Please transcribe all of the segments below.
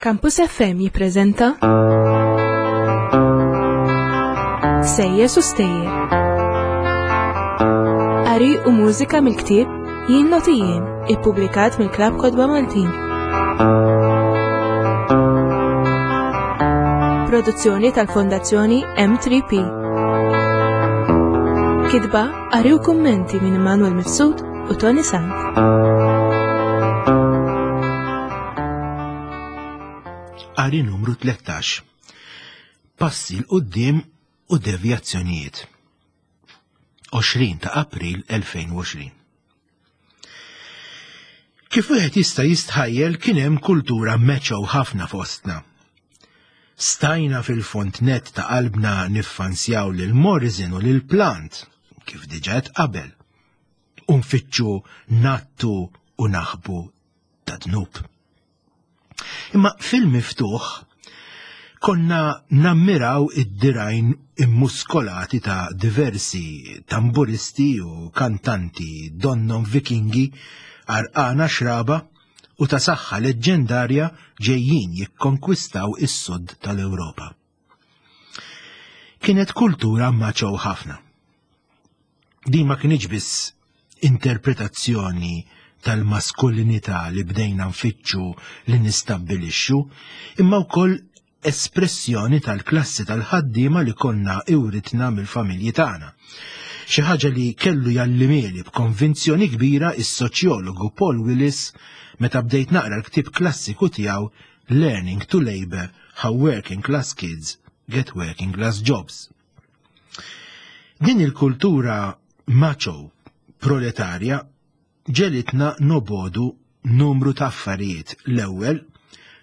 Campus FM jippreżenta Sejjes u Stejjer. Qari u mużika mill-ktieb Jien Noti Jien, ippubblikat mill-Klabb Kotba Maltin. Produzzjoni tal-Fondazzjoni M3P. Kitba, qari u kummenti minn Immanuel Mifsud u Tony Sant. Qari numru 13. Passi 'l quddiem u devjazzjonijiet. 20 ta' April 2020. Kif wieħed jista' jistħajjel kien hemm kultura meċew ħafna fostna. Stajna fil-fond net ta' qalbna niffansjaw lil Morrison u lil Plant, kif diġà qabel, u nfittxu nattu u naħbu ta' dnub. Imma fil-miftuħ konna nammiraw id-dirajn immuskolati ta' diversi tamburisti u kantanti donnom vikingi għarqana xraba u ta' saħħa leġġendarja ġejjin jikkonkwistaw is-sud tal-Ewropa. Kienet kultura maċew ħafna. Din ma kienx biss interpretazzjoni tal-maskulinità li bdejna nfittxu li nistabbilixxu, imma wkoll espressjoni tal-klassi tal-ħaddiema li konna iwritna mill-familji tagħna. Xi ħaġa li kellu jallimeli b'konvinzjoni kbira is-soċjologu Paul Willis meta bdejt naqra l-ktieb klassiku tiegħu Learning to Labour How Working Class Kids Get Working Class Jobs. Din il-kultura macho proletarja ġelitna nobodu numru ta' affarijiet. L-ewwel,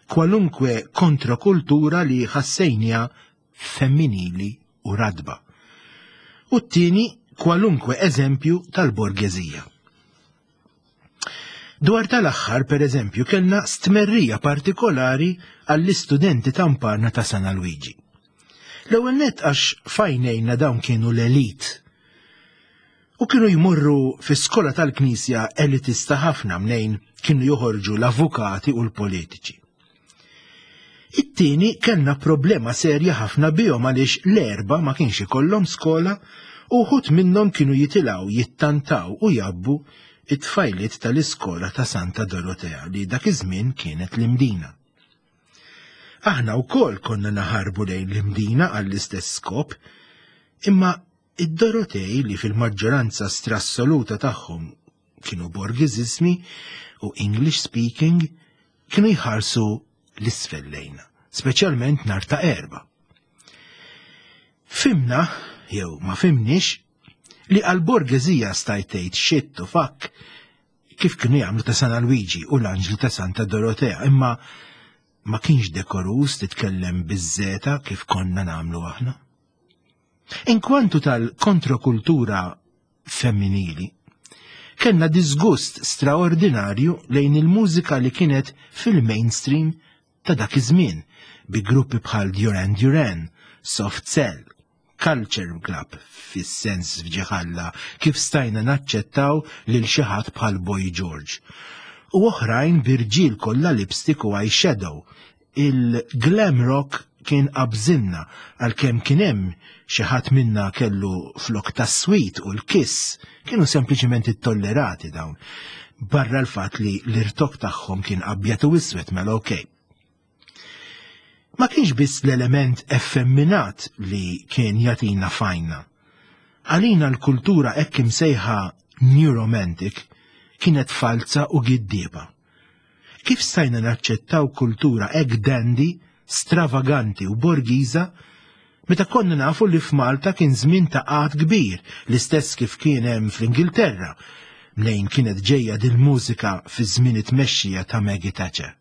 kwalunkwe kontrakultura li ħassejnija femminili u radba. U t-tieni, kwalunkwe eżempju tal-borgeżija. Dwar tal-aħħar, per eżempju, kellna stmerrija partikolari għall-istudenti tamparna ta' San Alwiġi. L-ewwel nett għax fajnejna dawn kienu l-elit. U kienu jmorru fi skola tal-Knisja elitista ħafna mnejn kienu joħorġu l-avukati u l-politiċi. It-tieni kellna problema serja ħafna bihom għaliex l-erba ma kienx ikollhom skola u wħud minnhom kienu jitilgħu jittantaw u jabbu it-tfajliet tal-iskola ta' Santa Dorotea li dak iż-żmien kienet l-Imdina. Aħna wkoll konna naħarbu lejn l-Imdina għall-istess skop, imma id-Dorotej li fil-maġġoranza strassoluta tagħhom kienu borgiżismi u English speaking kienu jħarsu l-isfel lejna, speċjalment nhar ta' erba. Fimna, jew ma fimniex, li għal-borgeżija stajt tgħid shit u fuck kif kienu jagħmlu ta' San Alwiġi u l-Anġli ta' Santa Dorotea, imma ma kienx dekorus titkellem biż-żeta kif konna nagħmlu aħna. Inkwantu tal-kontrokultura femminili, kellna disgust straordinarju lejn il-mużika li kienet fil-mainstream ta' dak iż-żmien bi gruppi bħal Duran Duran, Soft Cell, Culture Club fis-sens fġiħalla kif stajna naċċettaw lil xi ħadd bħal Boy George. U oħrajn b'irġiel kollha lipstick u eyeshadow Il-glam rock kien qabżilna għalkemm kien hemm xi ħadd minna kellu flok tas-sweet u l-kiss kienu sempliċement ittollerati dawn. Barra l-fatt li l-irtok tagħhom kien abjad u iswed mela okej. Ma kienx biss l-element effemminat li kien jagħtina fajna. Għalina l-kultura hekk imsejħa New Romantic kienet falza u giddieba. Kif stajna naċċettaw kultura hekk dandy, stravaganti u borgiża meta konna nafu li f'Malta kien żmien ta' qgħad kbir, l-istess kif kien hemm fl-Ingilterra, mnejn kienet ġejja dil-mużika fi żmien it-tmexxija ta' Maggie Thatcher.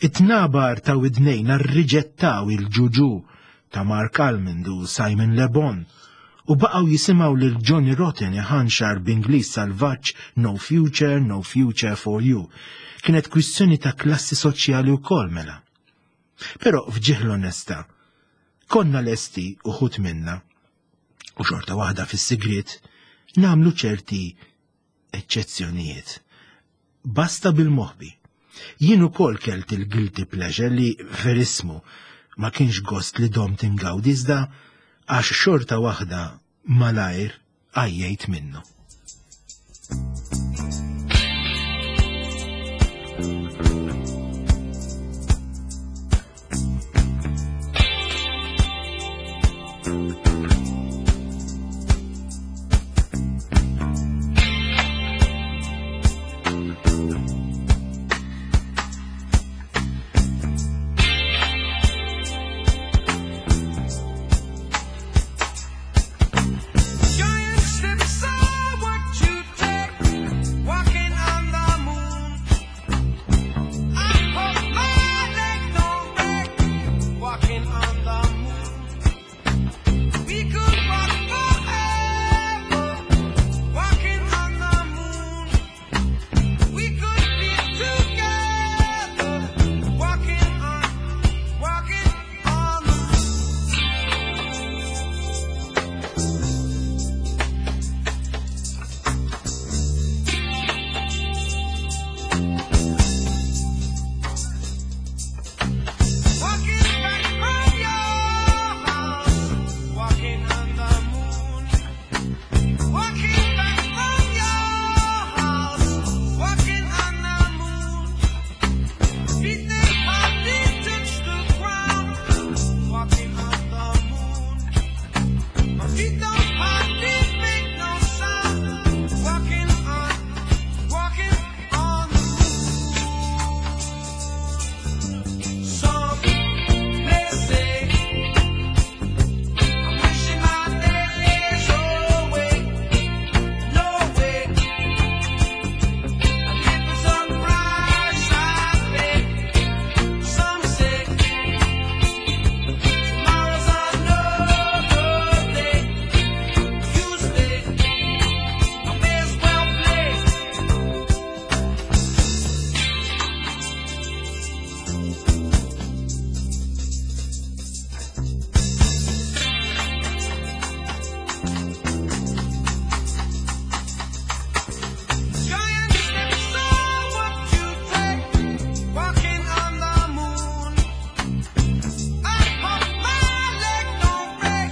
It-tnabar ta' widnejna rriġettaw il-ġuġu ta' Mark Almond u Simon Le Bon u baqgħu jisimgħu lil Johnny Rotten iħanxar b'Ingliż salvaġġ No future, no future for you. Kienet kwistjoni ta' klassi soċjali wkoll mela. Però f'ġieħ l-onestà, konna lesti uħud minna u xorta waħda fis-sigriet nagħmlu ċerti eċċezzjonijiet. Basta bil-moħbi. Jien ukoll kelt il-guilty pleasure li verismu ma kienx gost li domt ingawdi iżda għax xorta waħda malajr għajjejt minnu. Giant steps are what you take, walking on the moon. I hope my leg don't break, walking on the moon. We could walk forever, walking on the moon. We could be together, walking on, walking on the moon. Walking back from your house, walking on the moon. Walking back from your house, walking on the moon. Feet they hardly touch the ground, walking on the moon. My feet don't hardly make no sound, walking on, walking on the moon. Some may say I'm wishing my days away. No way. I live for some price I pay. Some say tomorrow's another day. You stay. I may as well play. Giant steps are what you take, walking on the moon. I hope my leg don't break,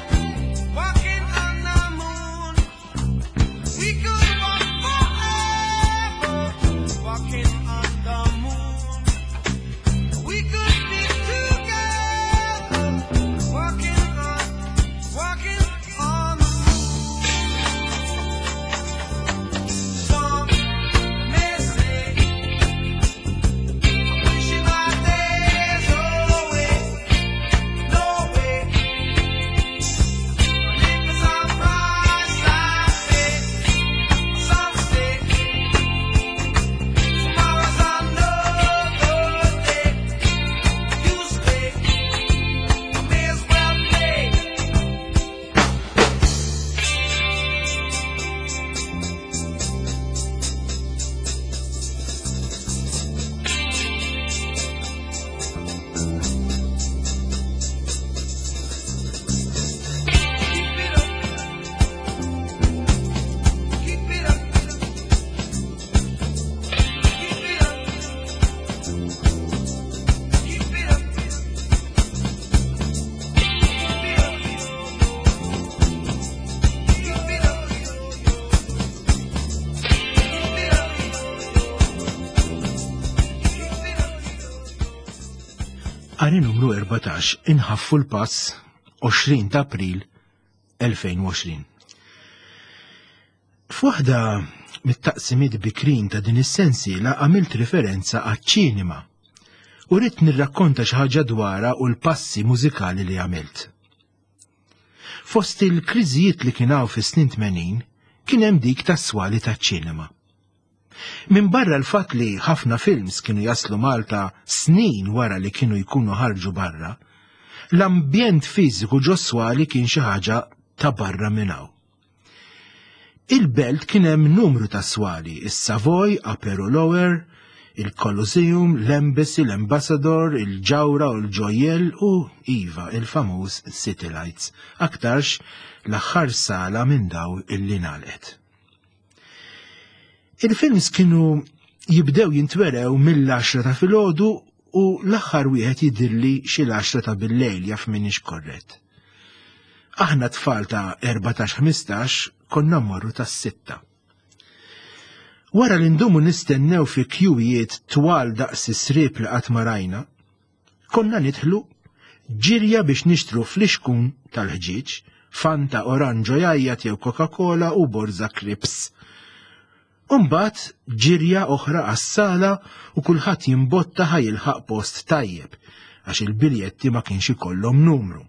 walking on the moon. We could walk forever, walking on the moon. We could be together, walking on, walking on the moon. Some may say I'm wishing my days away. No way. I live for some price I pay. Some say tomorrow's another day. You stay. I may as well play. Keep it up. Keep it up. Keep it up. Keep it up. Keep it up. Keep it up. Keep it up. Keep it up. Qari numru 14 inħaffu l-pass 20 ta' April 2020. F'waħda mit-taqsimiet bikrin ta' din is-sensiela għamilt referenza għaċ-ċinema u rrid nirrakkonta xi ħaġa dwarha u l-passi mużikali li għamilt. Fost il-kriżijiet li kien hawn fis-snin 80 kien hemm dik tas-swali taċ-ċinema. Min barra l-fatt li ħafna films kienu jaslu Malta snin wara li kienu jkunu ħarġu barra, l-ambjent fiżiku ġo swali kien xi ħaġa ta' barra minn hawn. Il-belt kien hemm numru ta' swali, is-Savoy, Upper u Lower, il-Colosseum, l-Embassy, l-Ambassador, il-Ġawra u l-Ġojjel u iva, il-famuż City Lights, aktarx l-aħħar sala minn daw illi nalqet. Il-films kienu jibdew jintwerew mill-10 ta' filgħodu u l-aħħar wieħed jidhirli xi l-10 ta' billejl jaf m'iniex korrett. Aħna tfal ta' 14-15 konna mmorru tas-sitta. Wara li ndumu nistennew fi kjuwijiet twal daqs is-sriep li qatt ma rajna, konna nidħlu ġirja biex nixtru flixkun tal-ħġieġ, Fanta oranġo jgħajjat jew Coca-Cola u borża Crips. U mbagħad ġirja oħra għas-sala u kulħadd jimbotta ħa jilħaq post tajjeb għax il-biljetti ma kienx ikollhom numru.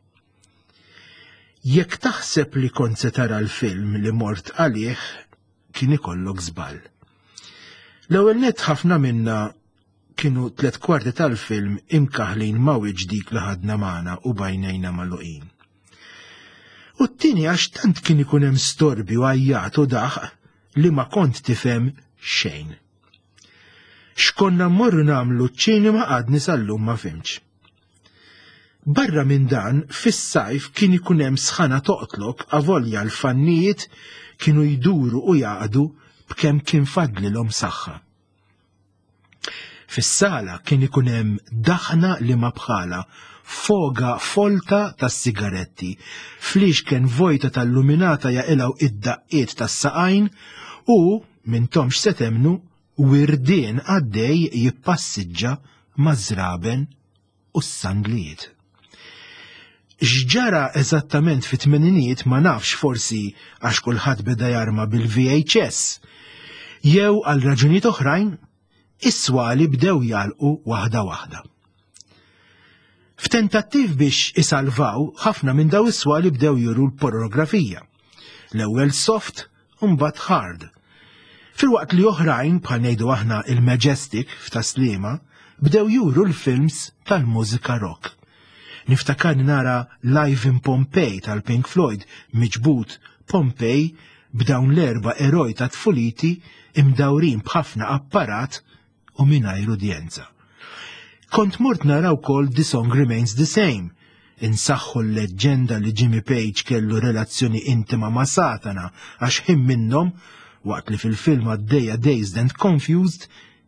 Jekk taħseb li kont se tara l-film li mort għalih, kien ikollok żball. L-ewwel nett ħafna minna kienu tlet kwarti tal-film imkaħlin ma' wiċċ dik li ħadna magħna u bajnejna magħluqin. U t-tieni għax tant kien ikun hemm storbju għajjat u daħq li ma kont tifhem xejn. X'konna mmorru nagħmlu ċ-ċinema għadni sal-lum ma fhimtx. Barra minn dan, fis-sajf kien ikun hemm sħana toqtlok avolja l-fannijiet kienu jduru u jaqdu b'kemm kien fadlilhom saħħa. Fis-sala kien ikun hemm daħna li ma bħala, foga folta tas-sigaretti, fliexken vojta tal-luminata jaqilgħu id-daqqiet tas-saqajn u, m'intomx se temmnu, wirdien għaddej jippassiġġa maż-żraben u s-sandlijiet. X'ġara eżattament fit-tmeninijiet ma nafx forsi għax kulħadd beda jarma bil-VHS. Jew għal raġunijiet oħrajn, is-swali bdew jagħlqu waħda waħda. F'tentattiv biex isalvaw, ħafna minn daw is-swali bdew juru l-pornografija. L-ewwel soft u mbagħad hard. Filwaqt li oħrajn, bħal ngħidu aħna il-Majestic f'Tas-Sliema, bdew juru l-films tal-mużika rock. Niftakarni nara Live in Pompeii tal-Pink Floyd miġbud Pompeii b'dawn l-erba' eroj ta' tfuliti imdawrin b'ħafna apparat u mingħajr udjenza. Kont mort nara wkoll The Song Remains the Same, insaħħu l-leġġenda li Jimmy Page kellu relazzjoni intima ma' Satana għax ħin minnhom, waqt li fil-film għaddejja Dazed and Confused,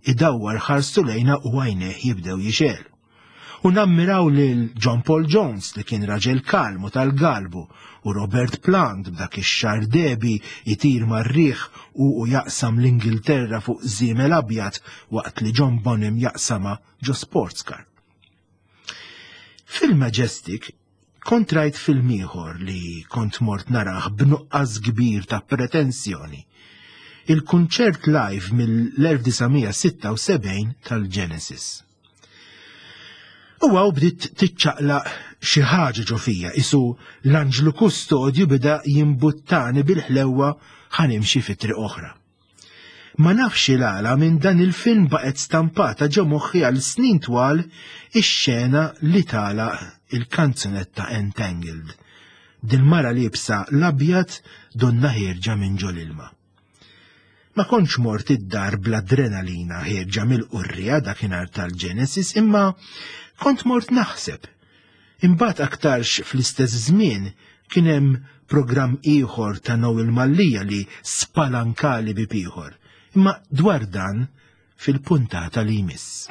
idawwar ħarstu lejna u għajnejh jibdew jixegħlu. U nammiraw lil John Paul Jones li kien raġel kalm u tal-galbu u Robert Plant b'dak ix-xagħar dehbi jtir mar-riħ u u jaqsam l-Ingilterra fuq żiemel abjad waqt li John Bonham jaqsamha ġo sports car. Fil-Majestic kont rajt film ieħor li kont mort narah b'nuqqas kbir ta' pretensjoni. Il-kunċert live mill-1976 tal-Genesis. U għaw bdiet tiċċaqlaq xi ħaġa ġo fija, isu l-anġlu kustodju beda jimbuttani bil-ħlewwa ħa nimxi fi triq oħra. Ma nafx il-għala minn dan il-film baqgħet stampata ġo moħħi għal snin twal ix-xena li tagħlaq il-kanzunetta Entangled. Dil-mara liebsa l-abjad donnha ħierġa minn ġol-ilma. Ma kontx mort id-dar bl-adrenalina ħierġa mill-qurriegħa dakinhar tal-Genesis imma kont mort naħseb. Imbagħad aktarx fl-istess żmien kien hemm programm ieħor ta' Noel Mallia li spalankali bieb ieħor. Imma dwar dan fil-puntata li jmiss.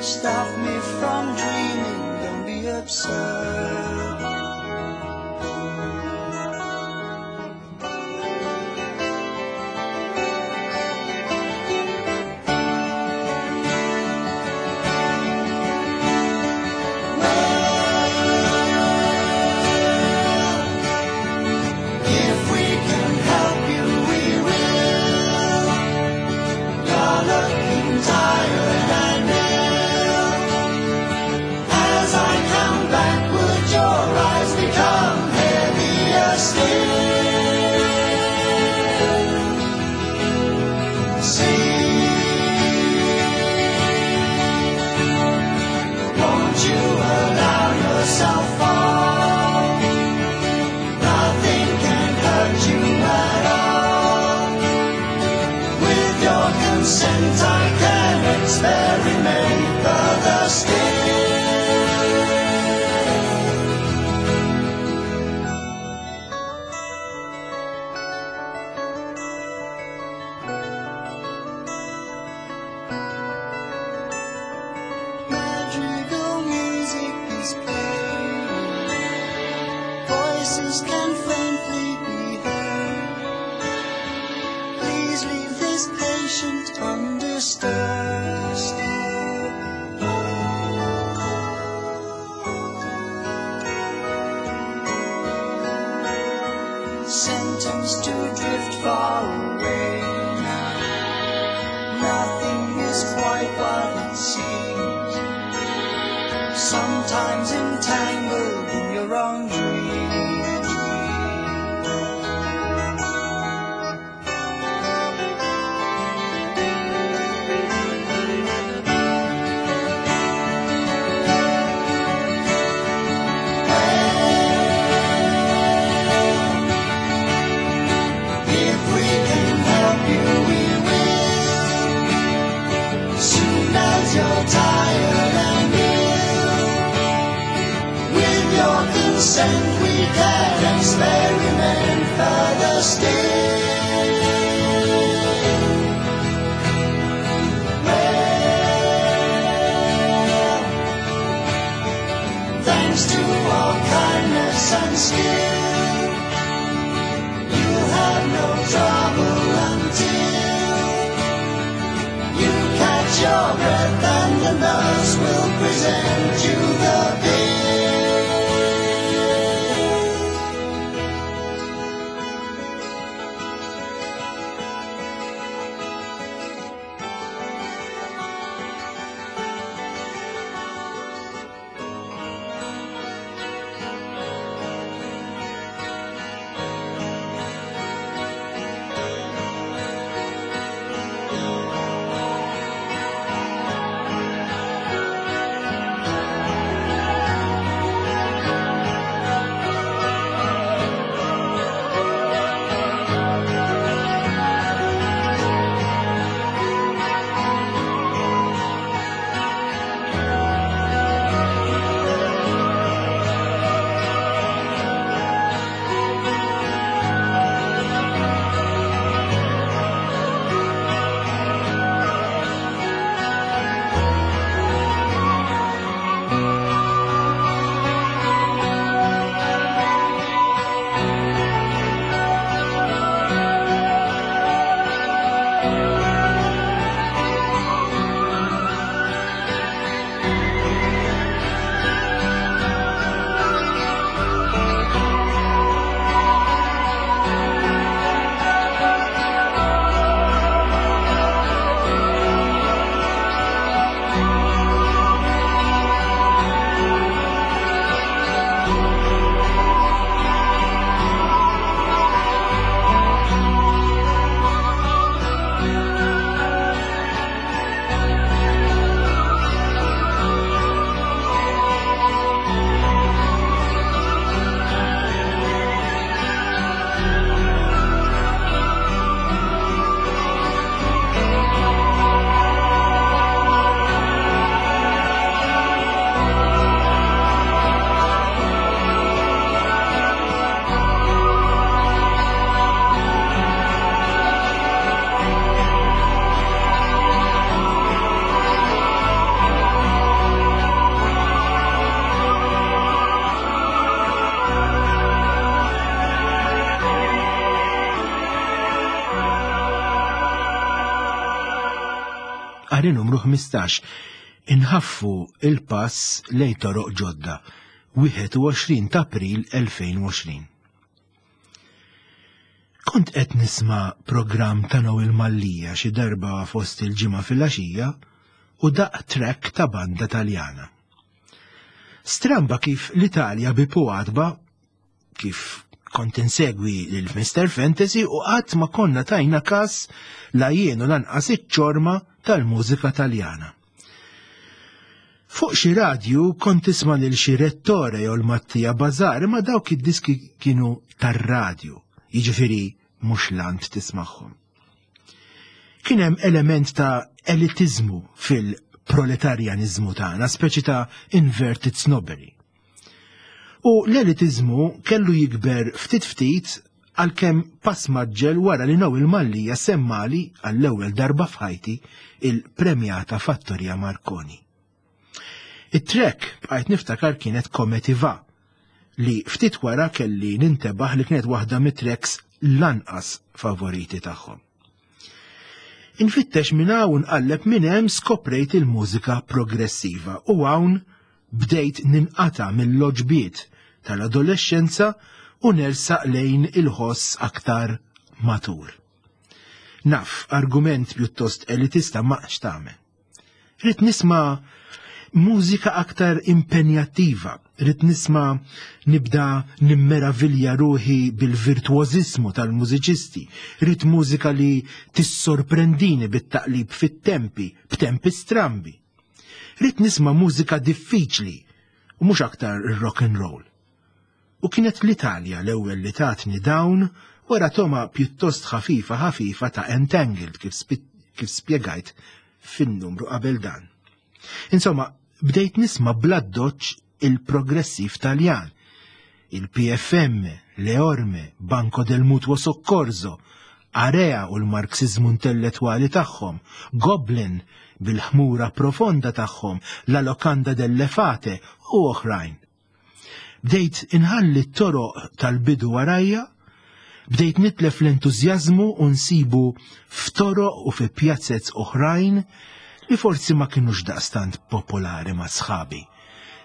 Stop me from Voices can faintly be heard. Please leave this patient undisturbed. Sentenced to drift far away now. Nothing is quite what it seems. Sometimes entangled in your own dreams. If we can help you, we will. Soon as you're tired and ill, with your consent, we can experiment further still. Well, thanks to our kindness and skill. You'll have no trouble until you catch your breath and the nurse will present you the bill. Qari numru 15. Inħaffu il-pass lejn toroq ġodda. 21 ta' April 2020. Kont qed nisma' programm ta' Noel Mallia xi darba fost il-ġimgħa filgħaxija u daqq track ta' banda Taljana. Stramba kif l-Italja bi għatba kif kont insegwi lil Mr. Fantasy u qatt ma konna tajna kas la jien u lanqas iċ-ċorma tal-mużika Taljana. Fuq xi radju kont tisma' lil xi Rettore jew l-Mattia Bazar, imma dawk id-diski kienu tar-radju, jiġifieri mhux lant tismagħhom. Kien hemm element ta' elitiżmu fil-proletarjaniżmu tagħna, speċi ta' inverted snobbery. U l-elitiżmu kellu jikber ftit ftit għalkemm pass maġġel wara li Noel Mallia semmali għall-ewwel darba f'ħajti il-premjata Fattoria Marconi. It-track bqajt niftakar kienet Come Ti Va. li ftit wara kelli nintebaħ li kienet waħda mit-tracks l-anqas favoriti tagħhom. Infittex minn hawn nqalleb minn hemm skoprejt il-mużika progressiva u hawn bdejt ninqata' mill-loġbiet tal-adolexxenza u nersaq lejn il-ħoss aktar matur. Naf, argument pjuttost elitista ma x'tagħmel. Ridt nisma' mużika aktar impenjattiva, ridt nisma' nibda nimmeravilja ruħi bil-virtwożismu tal-mużiċisti, ridt mużika li tissorprendini bit-taqlib fit-tempi, b'tempi strambi. Ridt nisma' mużika diffiċli u mhux aktar rock and roll. U kienet l-Italja l-ewwel li tatni dawn wara toma pjuttost ħafifa ħafifa ta' Entangled kif, kif spjegajt fin-numru qabel dan. Insomma, bdejt nisma' bl-addoċċ il-progressiv Taljan, il-PFM, Le Orme, Banco del Mutuo Soccorso, Area u l-Marxiżmu intellettwali tagħhom, Goblin bil-ħmura profonda tagħhom, La Locanda delle Fate u oħrajn. Bdejt inħalli t-toroq tal-bidu warajja, bdejt nitlef l-entużjażmu u nsibu f'toroq u fi pjazez oħrajn li forsi ma kinux daqstant popolari ma' sħabi.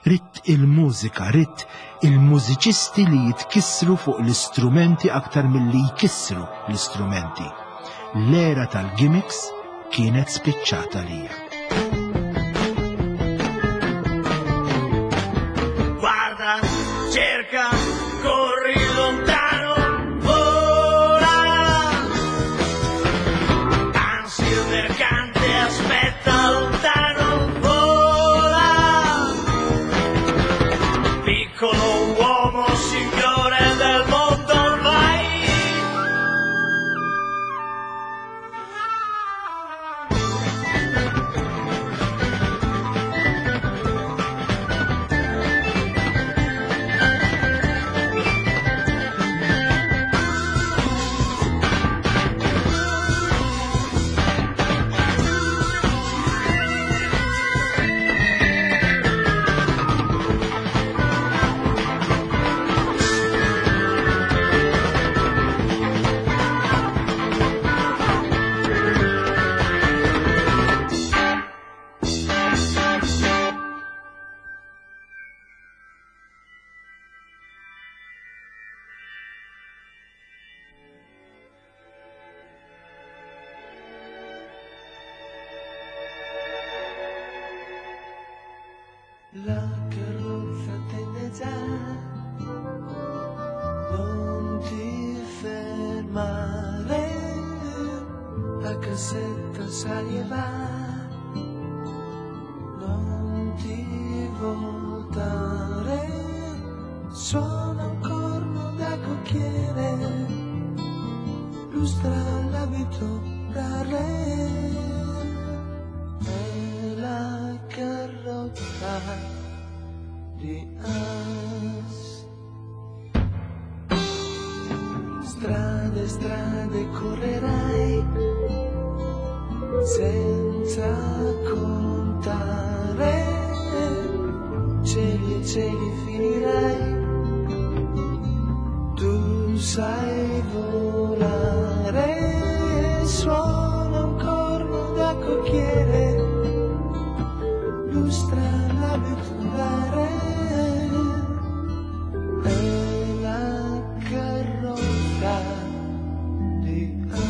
Ridt il-mużika, ridt il-mużiċisti li jitkissru fuq l-istrumenti aktar milli jkissru l-istrumenti. L-era tal-gimmicks kienet spiċċata lija. Guarda, cerca, corri lontano, vola. Anzi il mercante aspetta lontano, vola. Piccolo uomo, signore del mondo, vai. La carrozza tende già, non ti fermare, la cassetta sali e va, non ti voltare, suona un corno da cocchiere, lustra l'abito da re. È la carrozza di As. Strade, strade correrai senza contare, cieli e cieli finirai, tu sai volare, suona un corno da cocchiere, lustra l'abito da re, è la carrozza di As.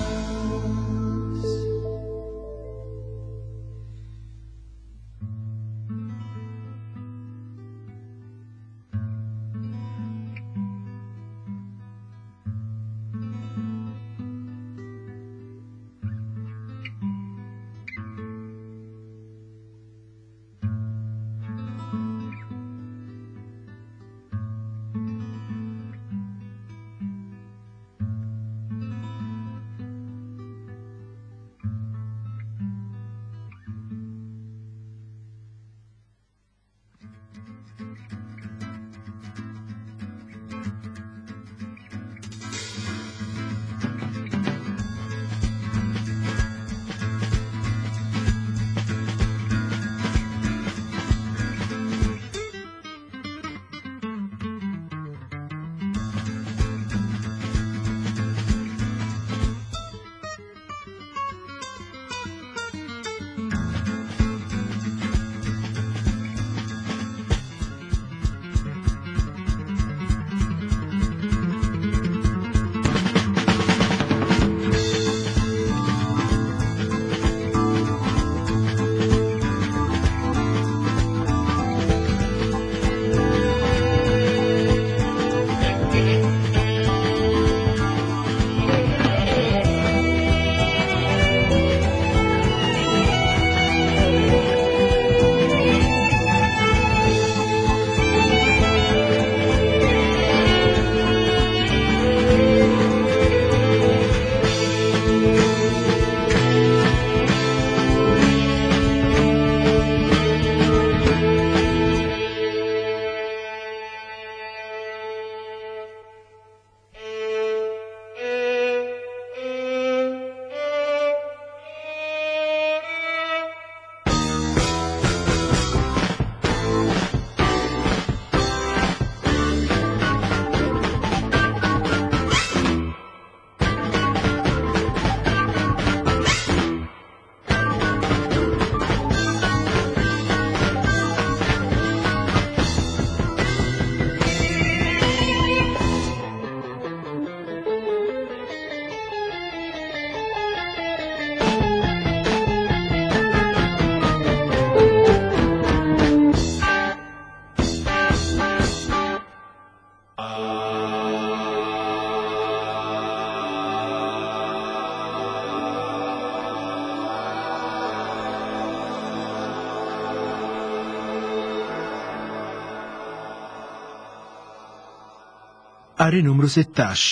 Qari numru 16,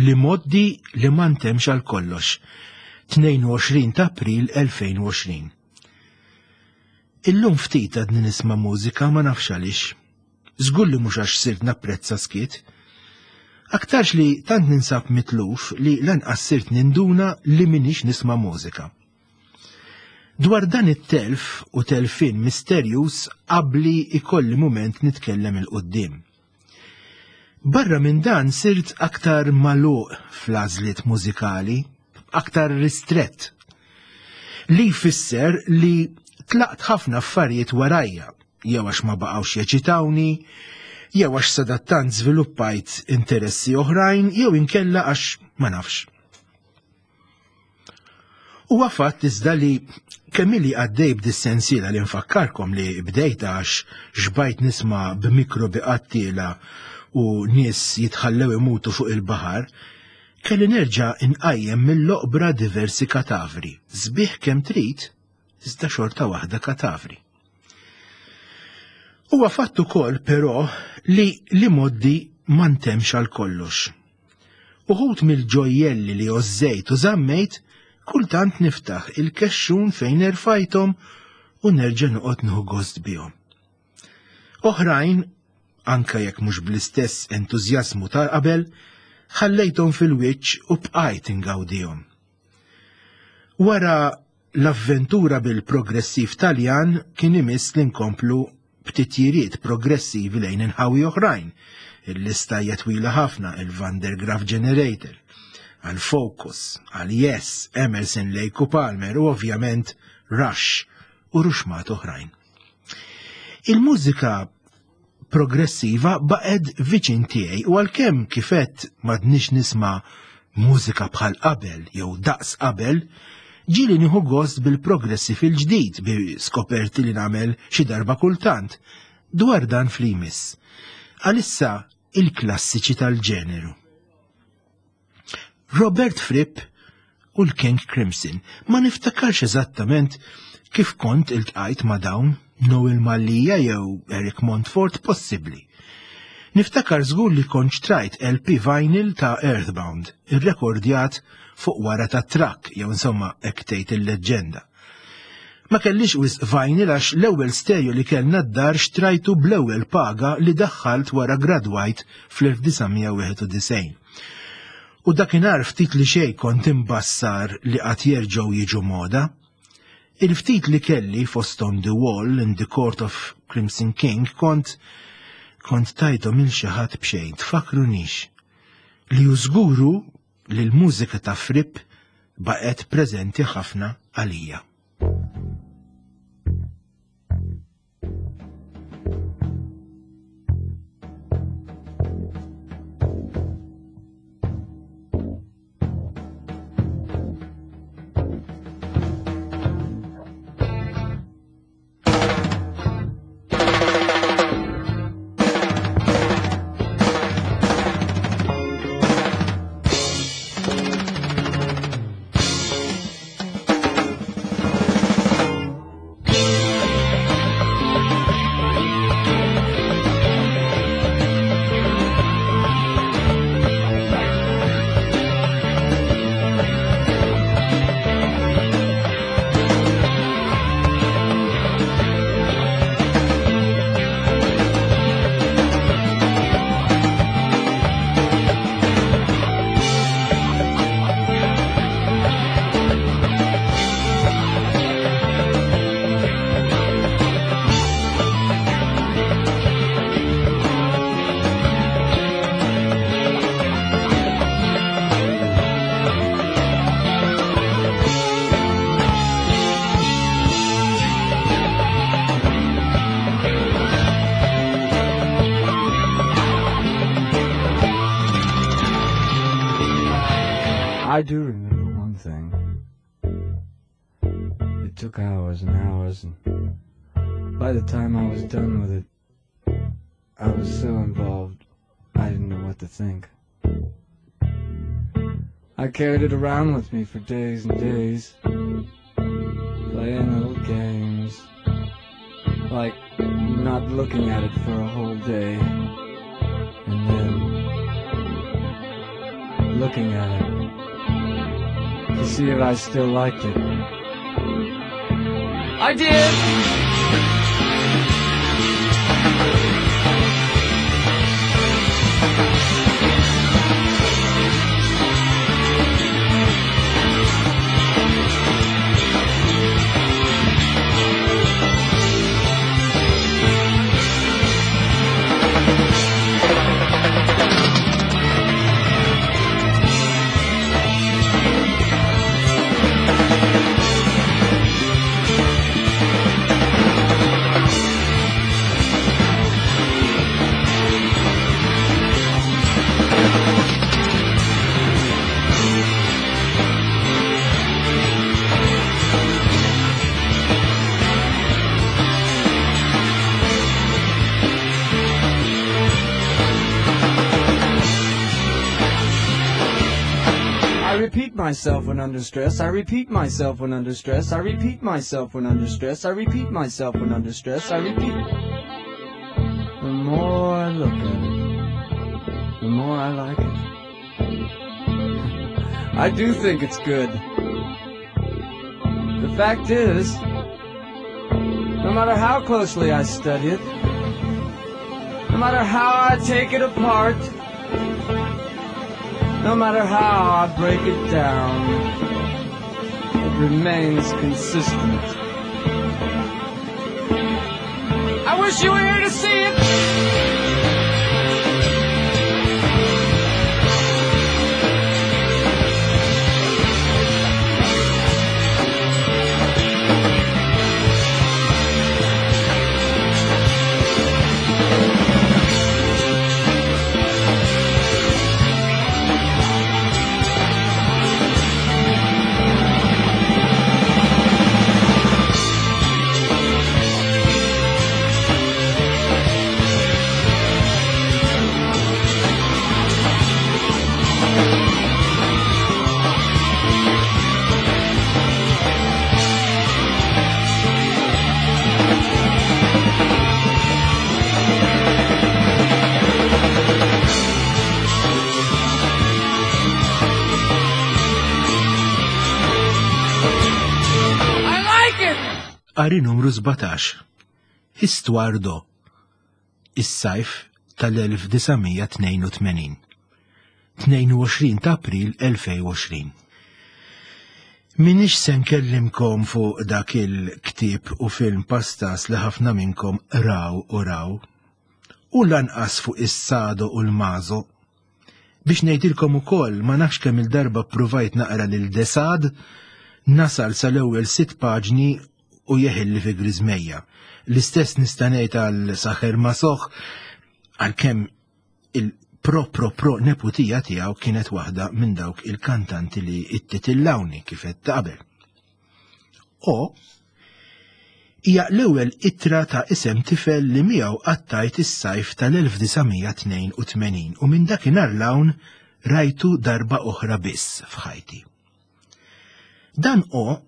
li moddi li ma ntemx għal kollox. 22 ta' April 2020. Illum ftit għadni nisma' mużika ma nafx għaliex. Żgur li mhux għax sirt napprezza skiet. Aktarx li tant ninsab mitluf li lanqas sirt ninduna li minix nisma' mużika. Dwar dan it-telf u telfien misterjuż qabli ikolli mument nitkellem 'il quddiem. Barra minn dan sirt aktar magħluq fl-għażliet mużikali, aktar ristrett. Li jfisser li tlaqt ħafna affarijiet warajja, jew għax ma baqgħux jeċitawni, jew għax sadattant żviluppajt interessi oħrajn, jew inkella għax ma nafx. Huwa fatt iżda li kemm ili għaddej b'dis-sensiela li nfakkarkom li bdejt għax xbajt nisma' b'mikrobi qattiela u nies jitħallew imutu fuq il-baħar, kelli nerġa' inqajjem mill-oqbra diversi katavri, sbieħ kemm trid, iżda xorta waħda katavri. Huwa fatt ukoll però li l-imgħoddi ma ntemx għal kollox. Uħud mill-ġojjelli li għożżejt u żammejt kultant niftaħ il-kexxun fejn erfajthom u nerġa' noqgħod nieħu gost bihom. Oħrajn, anke jekk mhux bl-istess entużjażmu ta' qabel, ħallejthom fil-wiċċ u bqajt ingawdihom. Wara L-avventura bil-progressiv Taljan kien imiss li nkomplu b'titjiriet progressivi lejn inħawi oħrajn. Il-lista hija twila ħafna, il-Van der Graaf Generator, għal Focus, għal Yes, Emerson, Lake u Palmer u ovvjament Rush u ruxmat oħrajn. Il-mużika progressiva baqgħet viċin tiegħi u għalkemm kifet m'għadniex nisma' mużika bħal qabel jew daqs qabel, ġieli nieħu gost bil-progressi fil-ġdid bi skoperti li nagħmel xi darba kultant dwar dan fl-imiss. Għalissa il-klassiċi tal-ġeneru. Robert Fripp u l-King Crimson. Ma niftakarx eżattament kif kont iltqajt ma' dawn, Noel Mallia jew Eric Montfort possibbli. Niftakar żgur li kont xtrajt LP vinyl ta' Earthbound, irrekordjat fuq wara ta' trakk jew insomma hekk tgħid il-leġġenda. Ma kellix wisq vinyl għax l-ewwel stereo li kellna d-dar xtrajtu bl-ewwel paga li daħħalt wara gradwajt fl-1991. U dakinhar ftit li xejn kont imbassar li qatt jerġgħu jiġu moda. Il-ftit li kelli fosthom The Wall in the Court of Crimson King kont kont tajthom il xi ħadd b'xejn tfakkrunix li hu żguru li l-mużika ta' Fripp baqgħet preżenti ħafna għalija. I do remember one thing. It took hours and hours, and by the time I was done with it, I was so involved, I didn't know what to think. I carried it around with me for days and days, playing little games, like not looking at it for a whole day, and then looking at it to see if I still liked it. I did! I repeat myself when under stress. I repeat myself when under stress. I repeat myself when under stress. I repeat myself when under stress. I repeat. The more I look at it, the more I like it. I do think it's good. The fact is, no matter how closely I study it, no matter how I take it apart, no matter how I break it down, it remains consistent. I wish you were here to see it! I like it! Qari numru 17. Histoire do. Is-sajf tal-1982. 22 ta' April 2020. Minix se nkellimkom fuq dak il-ktieb u film pastas li ħafna minnkom raw u raw, u lanqas fuq is-sado u l-mazo. Biex ngħidilkom ukoll ma nafx kemm il-darba ppruvajt naqra lil Desad, nasal sal-ewwel sitt paġni u jeħilli fi griżmejja. L-istess nista' ngħid għal Saħer Masoch għalkemm il-pro pro pro neputija tiegħu kienet waħda minn dawk il-kantanti li ittitillawni kif qed qabel. O hija l-ewwel ittra ta' isem tifel li miegħu qattajt is-sajf tal-1982 u minn dakinhar l-hawn rajtu darba oħra biss f'ħajti. Dan o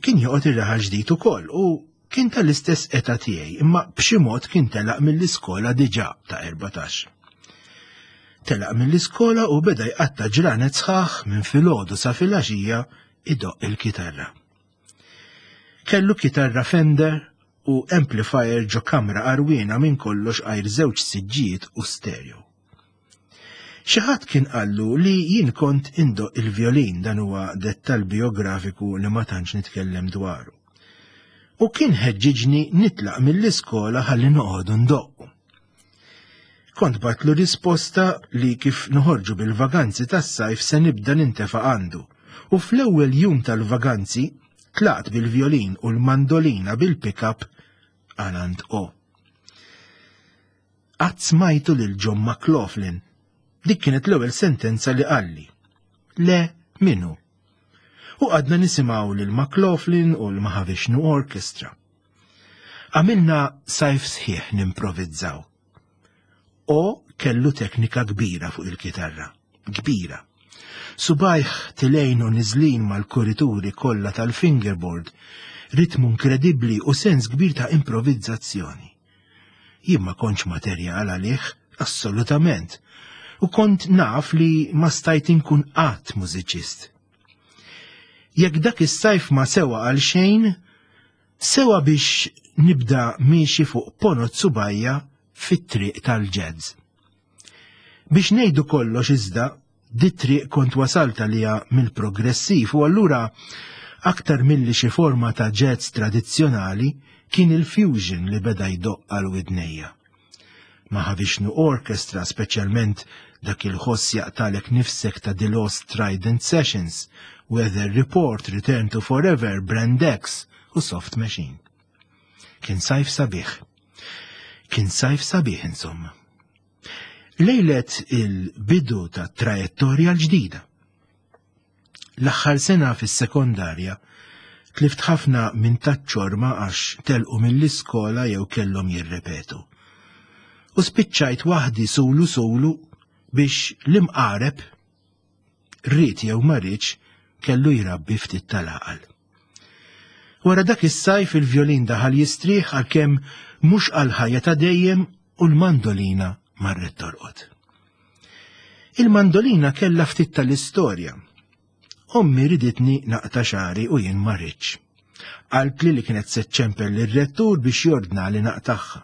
kien joqgħod ir-raħal ġdid ukoll u kien tal-istess età tiegħi imma b'xi mod kien telaq mill-iskola diġà ta' 14. Telaq mill-iskola u beda jqatta' ġranet sħaħ minn filgħodu sa filgħaxija idoqq il-kitarra. Kellu kitarra Fender u amplifier ġo kamra għarwiena minn kollox għajr żewġ siġġijiet u stereo. Xi ħadd kien qallu li jien kont indoqq il-vjolin, dan huwa dettall biografiku li ma tantx nitkellem dwaru. U kien ħeġġiġni nitlaq mill-iskola ħalli noqogħdu ndoqqu. Kont batlu risposta li kif noħorġu bil-vaganzi tas-sajf se nibda nintefa' għandu. U fl-ewwel jum tal-vaganzi tlaqt bil-vjolin u l-mandolina bil-pick-up għal għand O. Qatt smajtu lil John McLaughlin. Dik kienet l-ewwel sentenza li qalli. Le, min hu? U qgħadna nisimgħu lil McLaughlin u l-Mahavishnu Orchestra. Għamilna sajf sħiħ nimprovizzaw. O kellu teknika kbira fuq il-kitarra. Kbira. Subajh tilejn u niżlin mal-kurituri kollha tal-fingerboard, ritmu inkredibbli u sens kbir ta' improvizzazzjoni. Jien ma kontx materjal għalih, assolutament. U kont naf li ma stajt inkun qatt mużiċist. Jekk dak is-sajf ma sewa għal xejn, sewa biex nibda miexi fuq ponot subajja fit-triq tal-jazz. Biex ngħidu kollox iżda, dit-triq kont wasalt għaliha mill-progressiv u allura aktar milli xi forma ta' jazz tradizzjonali kien il-fusion li beda jdoqq għal widnejja. Mahavishnu Orchestra, speċjalment dak il-ħoss jaqtalek nifsek ta' The Lost Trident Sessions, Weather Report, Return to Forever, Brand X u Soft Machine. Kien sajf sabiħ. Kien sajf sabiħ insomma. Lejlet il-bidu ta' trajettorja l-ġdida. L-aħħar sena fis-sekondarja tlift ħafna minn taċ-ċorma għax telqu mill-iskola jew kellhom jirrepetu. U spiċċajt waħdi sulu sulu biex l-imqareb ried jew ma riedx kellu jrabbi ftit tal-għaqal. Wara dak is-sajf il-vjolin daħal jistrieħ għalkemm mhux għal ħajja ta' dejjem u l-mandolina marret torqod. Il-mandolina kellha ftit tal-istorja. Ommi riditni naqta' xagħri u jien ma ridtx. Qaltli li kienet se ċċempel lir-rettur biex jordnali naqtagħha.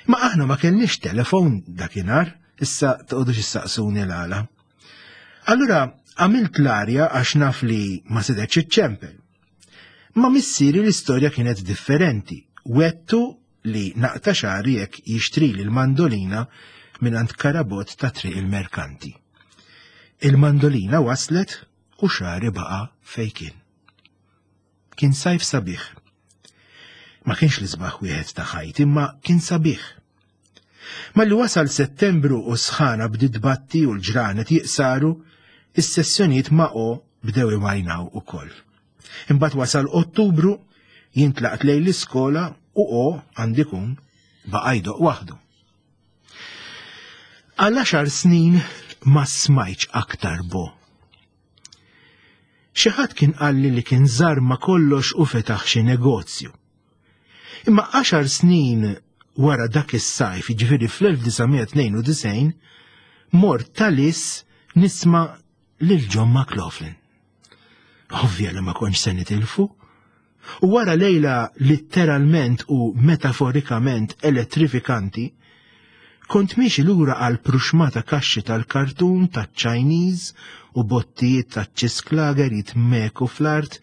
Ma aħna ma kellniex telefon dakinhar, issa toqgħodux issaqsuni l-għala. Allura għamilt l-arja għax naf li ma setgħetx iċċempel. Ma missieri l-istorja kienet differenti. Wettu li naqta' xagħri jekk jixtrili l-mandolina mingħand Karabott ta' Triq il-Merkanti. Il-mandolina waslet u xagħri baqa' fejn kien. Kien sajf sabiħ. Ma kienx l-isbaħ wieħed ta' ħajti, imma kien sabiħ. Malli wasal Settembru u s-sħana bdiet tbatti u l-ġranet jiqsaru, is-sessjonijiet ma' O bdew imajnaw ukoll. Imbagħad wasal Ottubru, jien tlaqt lejn l-iskola u O għandikun baqa' jdoqq waħdu. Għal għaxar snin ma smajtx aktar bo. Xi ħadd kien qalli li kien żarma kollox u fetaħ xi negozju. Imma għaxar snin wara dak is-sajf, jiġifieri fl-1992, mort talis nisma' lil John McLaughlin. Ovvja li ma kontx se nitilfu. U wara lejla litteralment u metaforikament elettrifikanti, kont miexi lura għal pruxmata kaxxi tal-kartun taċ-Chinese u bottijiet taċ-ċisklager jitmeku fl-art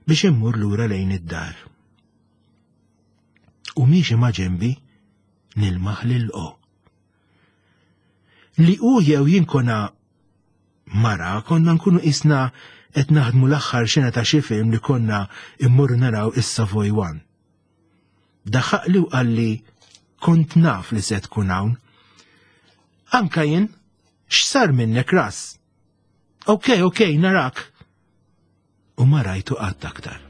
biex immur lura lejn id-dar. U miexi ma' ġenbi nilmaħ lil O. Li hu jew jien konna mara konna nkunu qisna qed naħdmu l-aħħar xena ta' xi film li konna immorru naraw is-Savoy One. Daħaqli u qalli kont naf li se tkun hawn. Anka jien, x'sar minnek ras? Ok, ok, narak. U ma rajtu qatt aktar.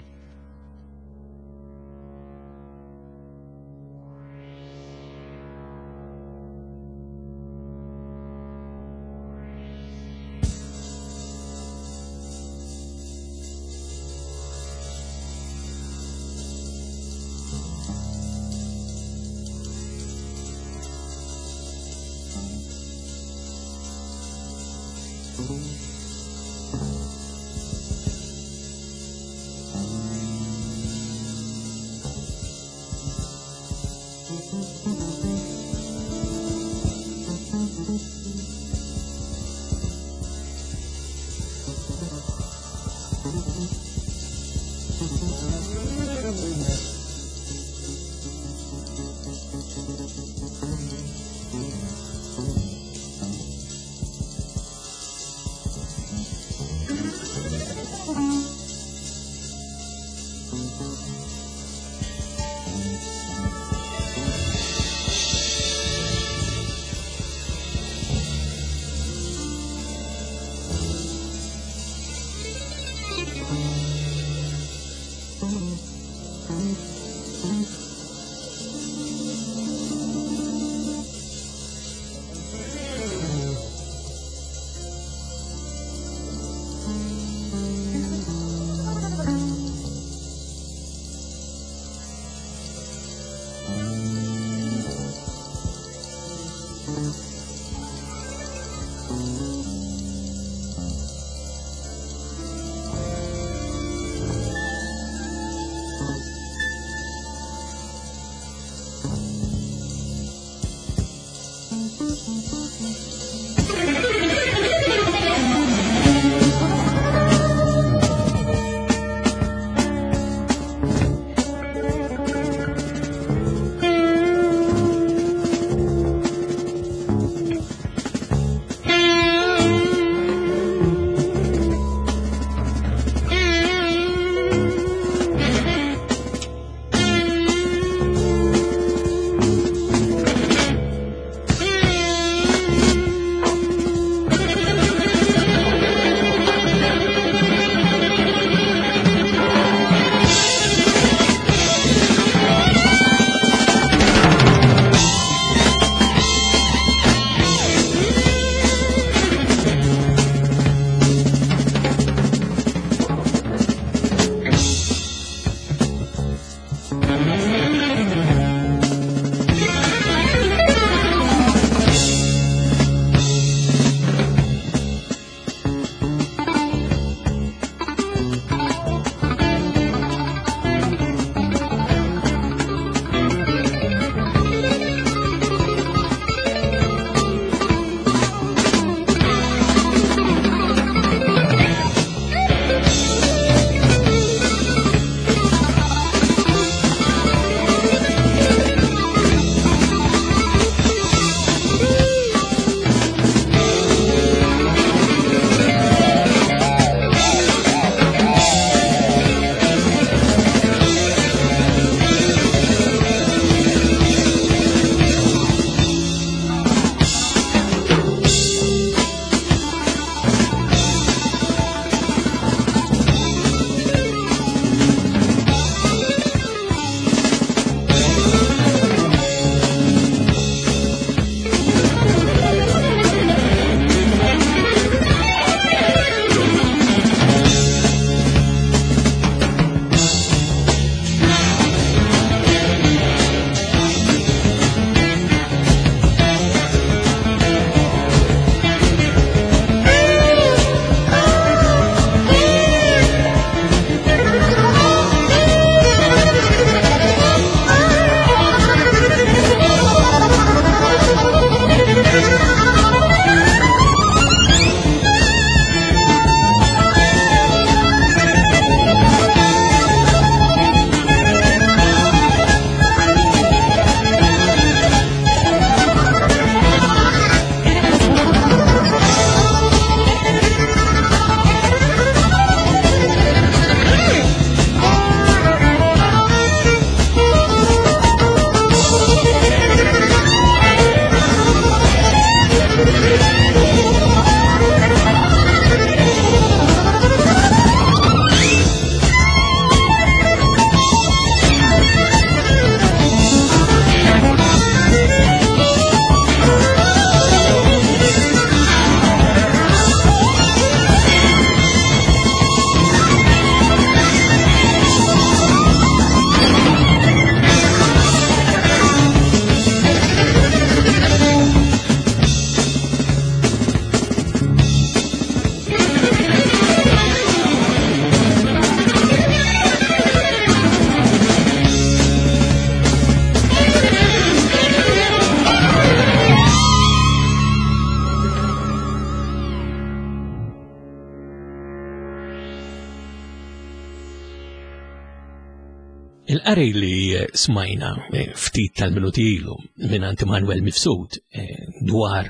Il-qari li smajna eh, ftit tal-minuti ilu minn Manuel Mifsud eh, dwar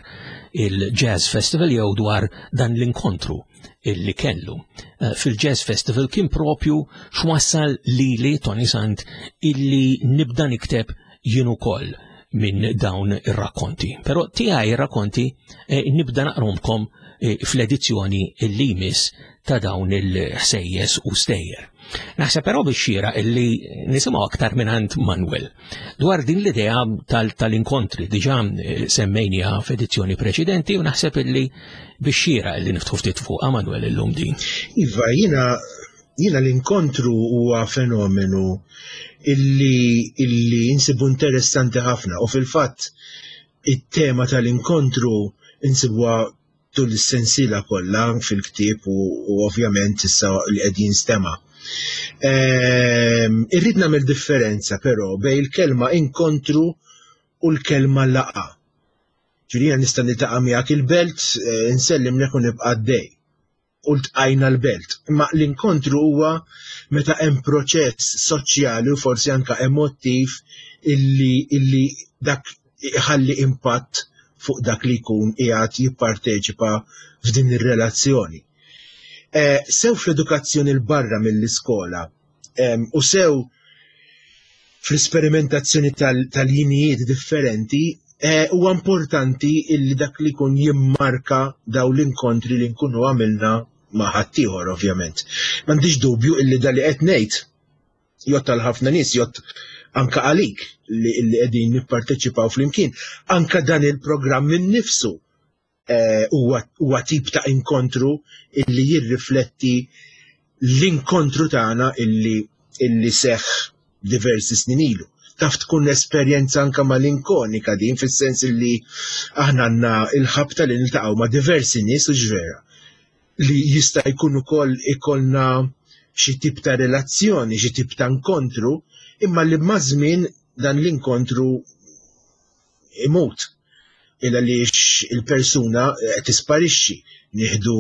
il-Jazz Festival jew dwar dan l-inkontru illi kellu eh, fil-Jazz Festival kien propju x'wassal lili Tony Sant illi nibda nikteb jien ukoll minn dawn ir-rakkonti. Però tiegħi ir-rakkonti nibda naqromkom fl-edizzjoni illi jmiss ta' dawn il-ħsejjes u stejjer. Naħseb però biex xira illi nisimgħu aktar minn Manuel dwar din l-idea tal-inkontri diġà eh, semmejniha f'edizzjoni preċedenti u naħseb illi biex xira illi niftħu ftit fuqha Manuel illum din. Iva, jiena jiena l-inkontru huwa fenomenu illi illi insibu interessanti ħafna u fil-fatt it-tema tal-inkontru insibuha tul is-sensiela kollha fil-ktieb u, u ovvjament issa li qed jinstema'. Irrid nagħmel differenza però bejn il-kelma inkontru u l-kelma laqa. Ġifieri jiena nista' niltaqa' miegħek il-belt, eh, nsellimlek u nibqa' għaddej. U ltqajna l-belt. Imma l-inkontru huwa meta hemm proċess soċjali u forsi anka emottiv illi, illi dak iħalli impatt fuq dak li jkun qiegħed jipparteċipa f'din ir-relazzjoni. Eh, sew fl-edukazzjoni l-barra mill-iskola u sew fl-isperimentazzjoni tal-jinijiet differenti eh, huwa importanti illi dak li jkun jimmarka daw l-inkontri li nkunu għamilna ma' ħaddieħor ovvjament. M'għandix dubju illi da li qed ngħid jott għal ħafna nies, jott anka għalik li qegħdin nipparteċipaw flimkien. Anka dan il-programm innifsu eh, huwa tip ta' inkontru illi jirrifletti l-inkontru tagħna illi illi seħħ diversi snin ilu. Taf tkun esperjenza anka malinkonika din fis-sens illi aħna għandna il-ħabta li niltaqgħu ma' diversi nies u ġvera li jista' jkun ukoll ikollna xi tip ta' relazzjoni, xi tip ta' inkontru, imma li maż-żmien dan l-inkontru imut il għaliex il-persuna eh, tisparixxi, nieħdu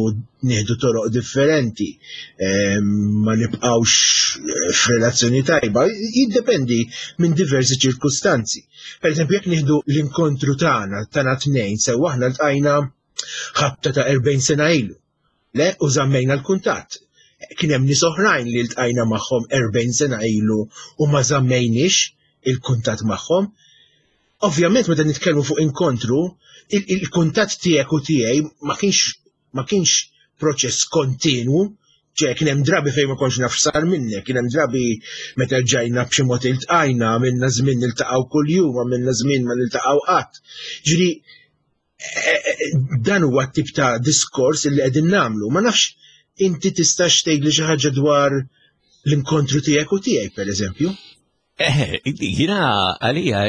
nieħdu toroq differenti, eh, ma nibqgħux eh, f'relazzjoni tajba, jiddependi minn diversi ċirkustanzi. Per eżempju, jekk nieħdu l-inkontru tagħna tagħna tnejn sew aħna ltqajna ħabta ta' 40 sena ilu. Le, u żammejna l-kuntatt. Kien hemm nies oħrajn li ltqajna magħhom 40 sena ilu u ma żammejniex il-kuntatt magħhom. Ovvjament meta nitkellmu fuq inkontru, il-kuntatt tiegħek u tiegħi ma kienx ma kienx proċess kontinwu, ċe kien hemm drabi fejn ma kontx naf sar minnek, kien hemm drabi meta ġajna b'xi mod iltqajna, għamilna żmien niltaqgħu kuljum, għamilna żmien ma niltaqgħu qatt. Ġifieri eh, eh, dan huwa t-tip ta' diskors li qegħdin nagħmlu. Ma nafx inti tistax tgħidli xi ħaġa dwar l-inkontru tiegħek u tiegħi pereżempju. Eh, jina għalija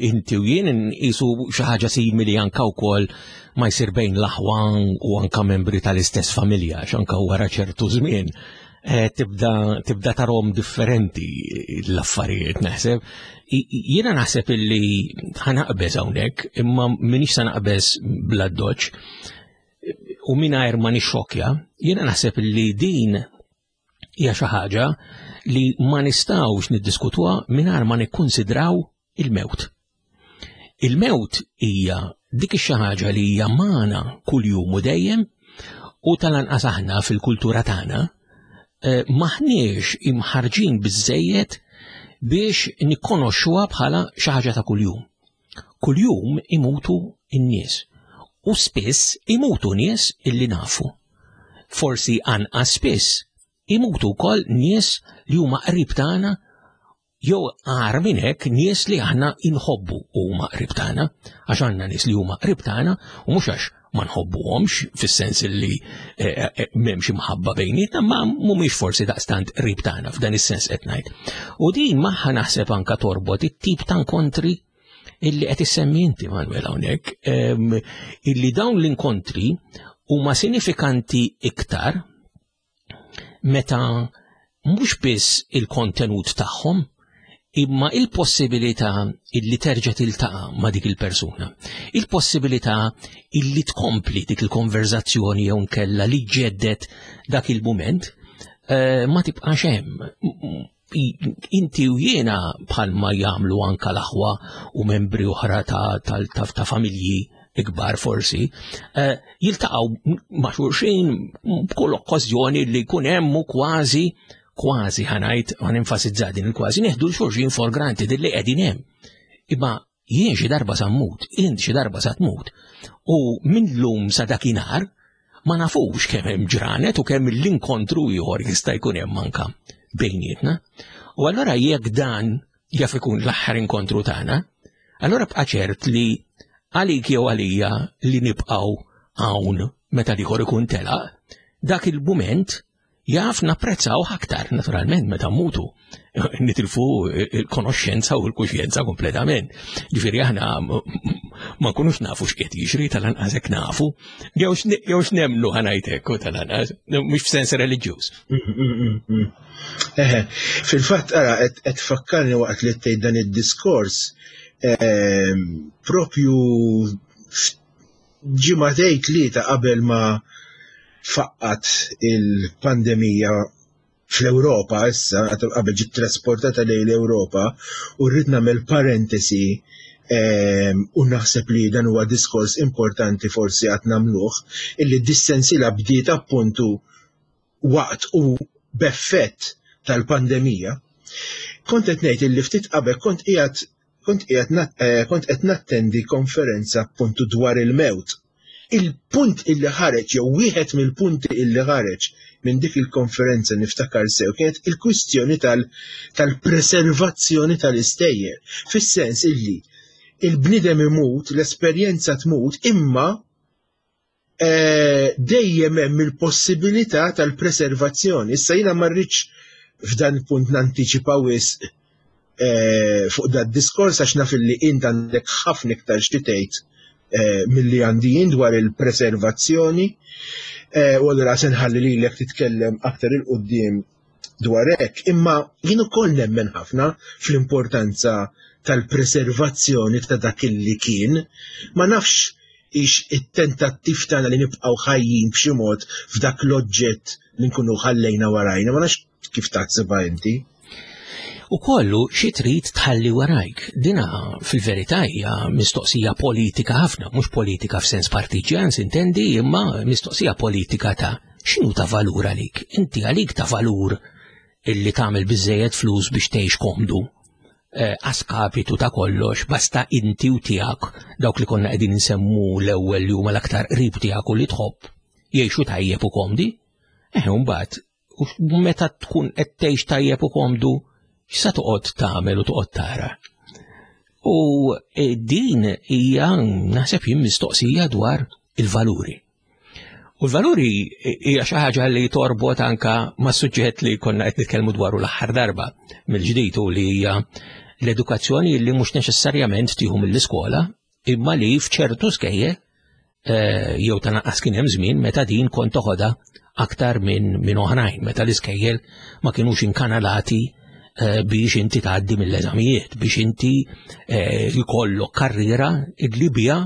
inti u jien nqisu xi ħaġa simili anka wkoll ma jsir bejn l-aħwa u anka membri tal-istess familja, x'anka wara ċertu żmien eh, tibda tibda tarom differenti l-affarijiet naħseb. Jiena naħseb illi ħanaqbeż hawnhekk, imma minix se naqbeż bla doċ u mingħajr ma nixxokja, jiena naħseb illi din hija xi ħaġa li ma nistgħux niddiskutuha mingħajr ma nikkunsidraw il-mewt. Il-mewt hija dik ix-xi ħaġa li hija magħna kuljum u dejjem u tal-anqas aħna fil-kultura tagħna eh, maħniex imħarġin biżejjed biex nikkonoxxuha bħala xi ħaġa ta' kuljum. Kuljum imutu n-nies u spiss imutu nies illi nafu. Forsi anqas spiss imutu wkoll nies li huma qrib tagħna jew agħar minn hekk nies li aħna inħobbu u huma qrib tagħna, għax għandna nies li huma qrib tagħna u mhux għax ma nħobbuhomx fis-sens li eh, eh, eh, m'hemmx imħabba bejnietna, ma mhumiex forsi daqstant qrib tagħna f'dan is-sens qed ngħid. U din magħha naħseb anka torbot it-tip ta' inkontri illi qed issemmi inti Manuel hawnhekk, ehm, illi dawn l-inkontri huma sinifikanti iktar meta mhux biss il-kontenut tagħhom imma il-possibilità illi terġa' tiltaqa' ma' dik il-persuna. Il-possibilità illi tkompli dik il-konverzazzjoni jew nkella li ġeddet dak il-mument eh, ma tibqax hemm. Inti u jiena bħalma jagħmlu anka l-aħwa u membri oħra ta', ta, ta, ta familji ikbar forsi, eh, jiltaqgħu ma' xulxin b'kull okkażjoni li jkun hemm u kważi kważi ħanajt ħan enfasizza din il-kważi neħdu l-xulxin for granted li qegħdin hemm. Imma jien xi darba sa mmut, int xi darba sa tmut. U minn lum sa dakinhar ma nafux kemm hemm ġranet u kemm l-inkontru ieħor jista' jkun hemm anka bejnietna. U allura jekk dan jaf ikun l-aħħar inkontru tagħna, allura bqa' ċert li għalik jew għalija li nibqgħu hawn meta l-ieħor ikun telaq, dak il-mument jaf napprezzaw aktar, naturalment, meta mutu, nitilfu il-konoxxenza u l-kuxjenza kompletament. Ġifieri aħna ma nkunux nafu x'qiegħed jiġri tal-anqas hekk nafu, jew x'nemmnu ħanajtek u tal-anqas, mhux f'sens reliġjuż. Eħe, fil-fatt ara qed tfakkarni waqt li tgħid dan id-diskors propju ġimagħtejn tlieta qabel ma faqqat il-pandemija fl-Ewropa issa, qabel ġiet trasportata lejn l-Ewropa, u rrid nagħmel parentesi u naħseb li dan huwa diskors importanti forsi għad nagħmluh, illi dis-sensiela bdiet appuntu waqt u b'effett tal-pandemija. Kont qed ngħid illi ftit qabel kont qiegħed kont qiegħed eh, kont qed nattendi konferenza appuntu dwar il-mewt. Il-punt illi ħareġ jew wieħed mill-punti illi ħareġ minn dik il-konferenza niftakar sew kienet il-kwistjoni tal-preservazzjoni tal-istejjer. Fis-sens illi il-bniedem imut, l-esperjenza tmut, imma Eh, dejjem hemm il-possibilità tal-preservazzjoni. Issa jiena ma rridx f'dan il-punt nantiċipa wisq eh, fuq dat diskors għax naf li int għandek ħafna iktar xi tgħid eh, milli għandi jien dwar il-preservazzjoni. U allura se nħalli lilek titkellem aktar il-qudiem dwar hekk, imma jien ukoll nemmen ħafna fl-importanza tal-preservazzjoni ta' dak illi kien. Ma nafx ix it-tentattiv tagħna li nibqgħu ħajjin b'xi mod f'dak l-oġġett li nkunu ħallejna warajna, ma nafx kif taħsibha inti. U kollu xi trid tħalli warajk. Dina fil-verità hija mistoqsija politika ħafna, mhux politika f'sens partiġjan sintendi, imma mistoqsija politika ta' x'inhu ta' valur għalik. Inti għalik ta' valur illi tagħmel biżejjed flus biex tgħix komdu eh, għaskapitu ta' kollox, basta inti u tiegħek dawk li konna qegħdin insemmu l-ewwel li huma l-aktar qrib tiegħek u li tħobb jgħixu tajjeb u komdi. Eh, mbagħad u meta tkun qed tgħix tajjeb u komdu, x'sa toqgħod tagħmel u toqgħod tara. U eh, din hija naħseb jien mistoqsija dwar il-valuri. U l-valuri hija xi ħaġa li torbot anka ma' suġġett li konna qed nitkellmu dwaru l-aħħar darba mill-ġdid u li hija l-edukazzjoni li mhux neċessarjament tieħu mill-iskola imma li f'ċertu skejjel eh, jew ta' naqqas kien hemm żmien meta din kont toħodha aktar minn min oħrajn, meta l-iskejjel ma kinux inkanalati eh, biex inti tgħaddi mill-eżamijiet, biex inti eh, jkollok karriera li bija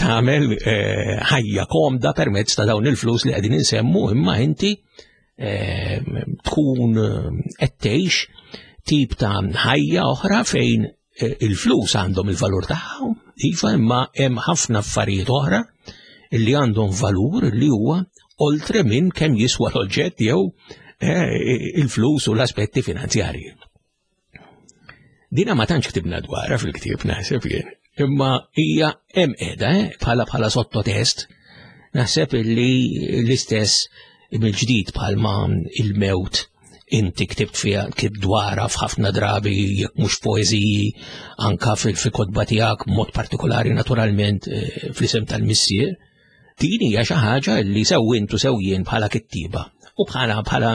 tagħmel eh, ħajja komda permezz ta' dawn il-flus li qegħdin insemmu imma inti eh, tkun eh, qed tgħix tip ta' ħajja oħra fejn il-flus għandhom il-valur tagħhom, iva imma hemm ħafna affarijiet oħra li għandhom valur li huwa oltre minn kemm jiswa l-oġġett jew il-flus u l-aspetti finanzjarji. Dina ma tantx ktibna dwarha fil-ktieb naħseb jien, imma hija hemm qiegħda eh, bħala bħala sottotest. Naħseb illi l-istess mill-ġdid bħalma il-mewt inti ktibt fiha ktibt dwarha f'ħafna drabi jekk mhux poeżiji anka fil-kotba tiegħek mod partikolari naturalment eh, fl-isem tal-missier. Din hija xi ħaġa li sew intu sew jien bħala kittiba u bħala bħala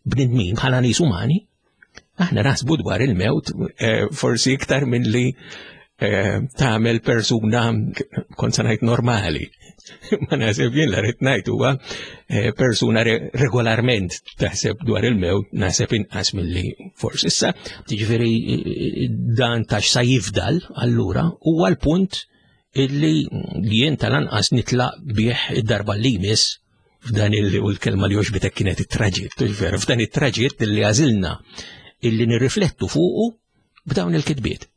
bnedmin bħala nies umani Aħna naħsbu dwar il-mewt eh, forsi iktar minn li eh, tagħmel persuna kont se ngħid normali. Ma naħseb jien la rrid ngħid huwa eh, persuna regolarment taħseb dwar il-mewt naħseb inqas milli forsi issa. Jiġifieri dan tax sa jifdal allura huwa l-punt illi jien tal-anqas nitlaq bih id-darba li jmiss f'dan il u l-kelma li oġbitek kienet it-traġitt, veru, f'dan it-traġitt li għażilna illi nirriflettu fuqu b'dawn il-kitbiet.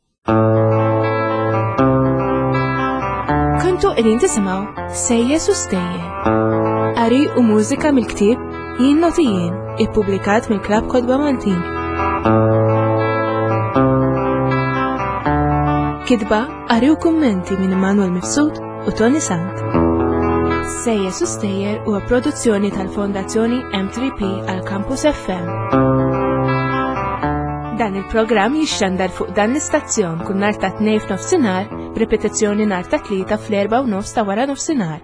Kontu qegħdin tisimgħu Sejjes u Stejjer. Qari u mużika mill-ktieb Jien Noti Jien, ippubblikat mill-Klabb Kotba Maltin. Kitba, qari u kummenti minn Immanuel Mifsud u Tony Sant. Sejjes u Stejjer huwa produzzjoni tal-Fondazzjoni M3P għal Campus FM. Dan il-programm jixxandar fuq dan l-istazzjon kull nhar ta' tnejn f'nofsinhar b'ripetizzjoni nhar ta' tlieta fl-erba' u nofs ta' wara nofsinhar.